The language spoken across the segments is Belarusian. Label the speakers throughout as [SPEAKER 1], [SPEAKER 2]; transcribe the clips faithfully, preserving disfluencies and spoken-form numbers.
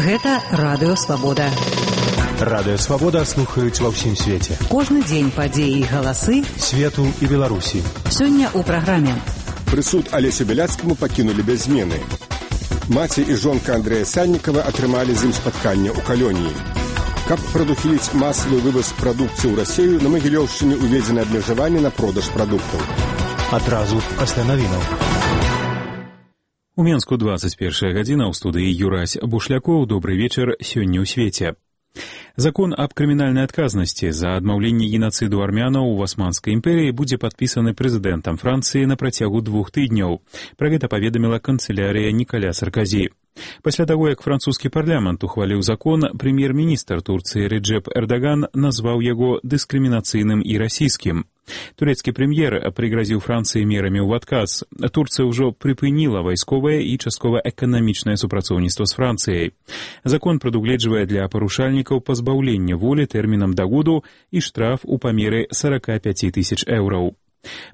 [SPEAKER 1] Гэта Радыё Свабода.
[SPEAKER 2] Радыё Свабода слухаюць ва ўсім свеце.
[SPEAKER 1] Кожны дзень падзеі і галасы
[SPEAKER 2] свету і Беларусі.
[SPEAKER 1] Сёння ў праграме.
[SPEAKER 3] Прысуд Алесе Бяляцкаму пакінулі без змены. Маці і жонка Андрэя Саннікава атрымалі з ім спатканне ў калоніі. Каб прадухіліць масавы вываз прадукцыі ў Расею, на Магілёўшчыне уведзены абмежаванні на продаж прадуктаў.
[SPEAKER 2] Адразу пасля навінаў.
[SPEAKER 4] У Менску двадцать первая гадзіна, ў студыі Юрась Бушлякоў. Добры вечар, сёння ў свеце. Закон аб крымінальнай адказнасці за адмаўленне генацыду армянаў у Османскай імперыі будзе падпісаны прэзідэнтам Францыі на працягу двух тыдняў. Пра гэта паведаміла канцылярыя Нікаля Сарказі. Пасля таго, як французскі парламент ухваліў закон, прэм'ер-міністр Турцыі Реджеп Эрдаган назваў яго дыскрымінацыйным і расійскім. Турэцкі прэм'ер прыгразіў Францыі мерамі ў адказ. Турцыя ўжо прыпыніла вайсковае і часткова эканамічнае супрацоўніцтва з Францыяй. Закон прадугледжвае для парушальнікаў пазбаўлення волі тэрмінам да году і штраф у памеры сорок пять тысяч еўраў.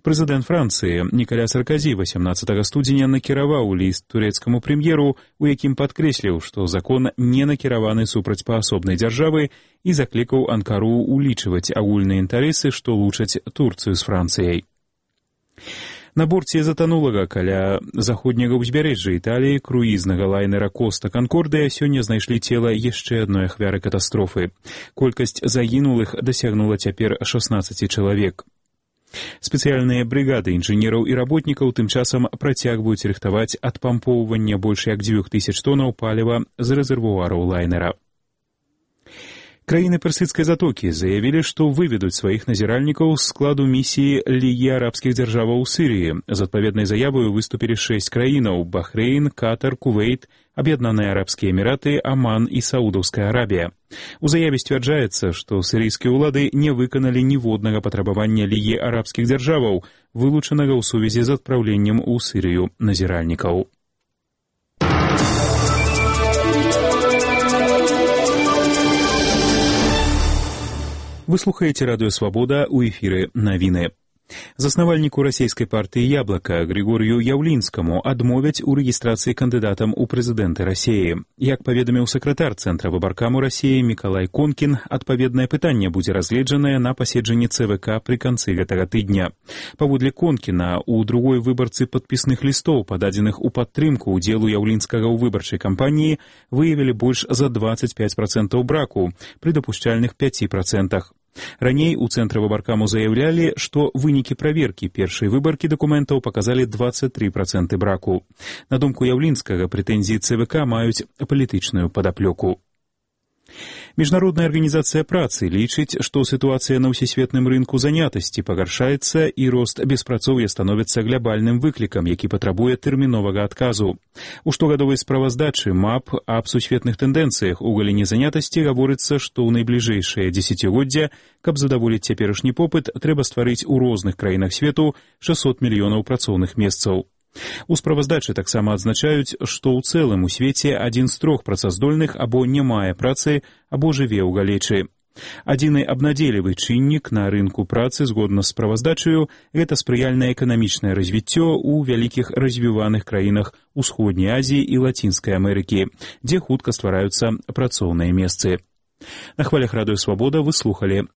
[SPEAKER 4] Прэзідэнт Францыі Нікаля Сарказі восемнадцатага студзеня накіраваў ліст турэцкаму прэм'еру, у якім падкрэсліў, што закон не накіраваны супраць паасобнай дзяржавы і заклікаў Анкару улічваць агульныя інтарэсы, што лучаць Турцыю з Францыяй. На борце затанулага каля заходняга ўзбярэжжа Італіі круізнага лайнера Коста Канкордыя сёння знайшлі цела яшчэ адной ахвяры катастрофы. Колькасць загінулых дасягнула цяпер шестнадцать чалавек. Спецыяльныя брыгады інжынераў і работнікаў тым часам працягваюць рыхтаваць адпампоўванне больш як дзвюх тысяч тонаў паліва з рэзервуараў лайнера. Краіны персідскай затокі заявілі, што выведуць сваіх назіральнікаў з складу місіі Лігі арабскіх дзяржаваў у Сірыі. З адпаведнай заявою выступілі шэсць краінаў: Бахрэйн, Катар, Кувейт, Аб'яднаныя Арабскія Эміраты, Аман і Саудаўская Арабія. У заяве сцвярджаецца, што сірыйскія ўлады не выканалі ніводнага патрабавання Лігі арабскіх дзяржаваў, вылучанага ў сувязі з адпраўленнем у Сірыю назіральнікаў. Вы слухаеце Радыё Свабода, у эфіры навіны. Заснавальніку расійскай партыі «Яблака» Григорію Яўлінскаму адмовяць у рэгістрацыі кандыдатам у прэзідэнты Расіі. Як паведаміў сакратар Цэнтра выбаркаму Расіі Мікалай Конкін, адпаведнае пытанне будзе разгледжанае на паседжанні цэ вэ ка пры канцы гэтага тыдня. Паводле Конкіна, у другой выбарцы падпісных лістоў, пададзеных у падтрымку ўдзелу Яўлінскага ў выбарчай кампаніі, выявілі больш за двадцать пять процентаў браку, пры дапушчальных пяти процентах. Раней у Цэнтры выбаркаму заяўлялі, што вынікі праверкі першай выбаркі дакументаў паказалі двадцать три проценты браку. На думку Яўлінскага, прэтэнзіі цэ вэ ка маюць палітычную падаплёку. Міжнародная арганізацыя працы лічыць, што сітуацыя на ўсесветным рынку занятасці пагаршаецца і рост беспрацоўя становіцца глябальным выклікам, які патрабуе тэрміновага адказу. У штогадовай справаздачы МАП аб сусветных тэндэнцыях у галіне занятасці гаворыцца, што ў найбліжэйшае дзесяцігоддзе, каб задаволіць цяперашні попыт, трэба стварыць у розных краінах свету шэсцьсот мільёнаў працоўных месцаў. У справаздачы таксама адзначаюць, што ў цэлым у свеце адзін з трох працаздольных або не мае працы, або жыве ў галечы. Адзіны абнадзейлівы чыннік на рынку працы, згодна з справаздачаю, гэта спрыяльнае эканамічнае развіццё ў вялікіх развіваных краінах Усходняй Азіі і Лацінскай Амерыкі, дзе хутка ствараюцца працоўныя месцы. На хвалях Радыё Свабода вы слухалі